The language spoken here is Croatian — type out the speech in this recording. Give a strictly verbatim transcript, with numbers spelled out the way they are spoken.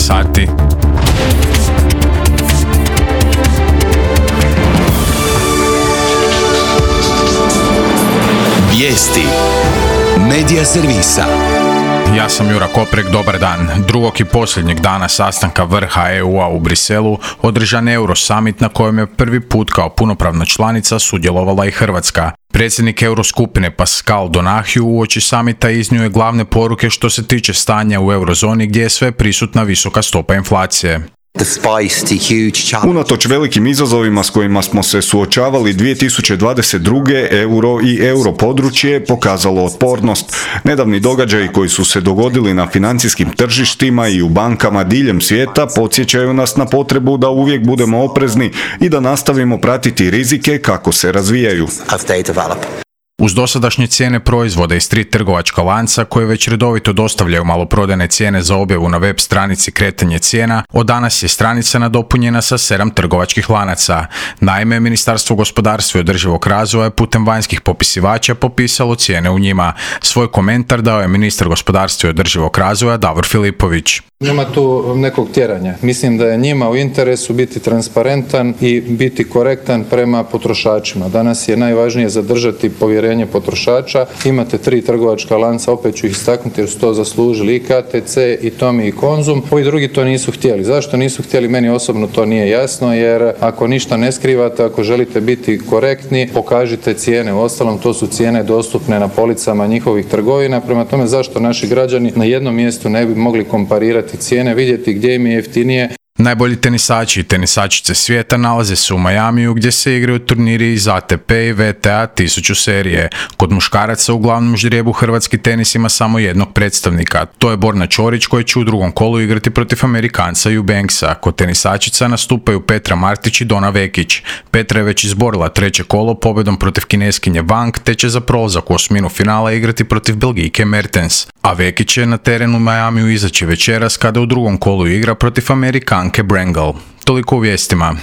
sati. Vijesti Medija servisa. Ja sam Jura Koprek, dobar dan. Drugog i posljednjeg dana sastanka vrha E U-a u Briselu održan Euro Summit na kojem je prvi put kao punopravna članica sudjelovala i Hrvatska. Predsjednik Euroskupine Pascal Donahue uoči samita iznio je glavne poruke što se tiče stanja u eurozoni gdje je sve prisutna visoka stopa inflacije. Unatoč velikim izazovima s kojima smo se suočavali dvije tisuće dvadeset druge. euro i europodručje je pokazalo otpornost. Nedavni događaji koji su se dogodili na financijskim tržištima i u bankama diljem svijeta podsjećaju nas na potrebu da uvijek budemo oprezni i da nastavimo pratiti rizike kako se razvijaju. Uz dosadašnje cijene proizvoda iz tri trgovačka lanca koje već redovito dostavljaju maloprodajne cijene za objavu na web stranici Kretanje cijena, od danas je stranica nadopunjena sa sedam trgovačkih lanaca. Naime, Ministarstvo gospodarstva i održivog razvoja je putem vanjskih popisivača popisalo cijene u njima. Svoj komentar dao je ministar gospodarstva i održivog razvoja Davor Filipović. Nema tu nekog tjeranja. Mislim da je njima u interesu biti transparentan i biti korektan prema potrošačima. Danas je najvažnije zadržati povjerenje potrošača. Imate tri trgovačka lanca, opet ću ih istaknuti jer su to zaslužili i K T C, i Tomi i Konzum. Ovi drugi to nisu htjeli. Zašto nisu htjeli? Meni osobno to nije jasno, jer ako ništa ne skrivate, ako želite biti korektni, pokažite cijene. Uostalom, to su cijene dostupne na policama njihovih trgovina. Prema tome, zašto naši građani na jednom mjestu ne bi mogli komparirati cijene, vidjeti gdje im je jeftinije. Najbolji tenisači i tenisačice svijeta nalaze se u Majamiju gdje se igraju turniri iz A T P i V T A tisuću serije. Kod muškaraca u glavnom ždrijebu hrvatski tenis ima samo jednog predstavnika. To je Borna Ćorić koji će u drugom kolu igrati protiv Amerikanca Eubanksa. Kod tenisačica nastupaju Petra Martić i Dona Vekić. Petra je već izborila treće kolo pobjedom protiv Kineskinje Wang te će za prolazak u osminu finala igrati protiv Belgijke Mertens. A Vekić je na terenu Majamiju izaći večeras kada u drugom kolu igra protiv Amerikanke Brangle. Toliko u vijestima.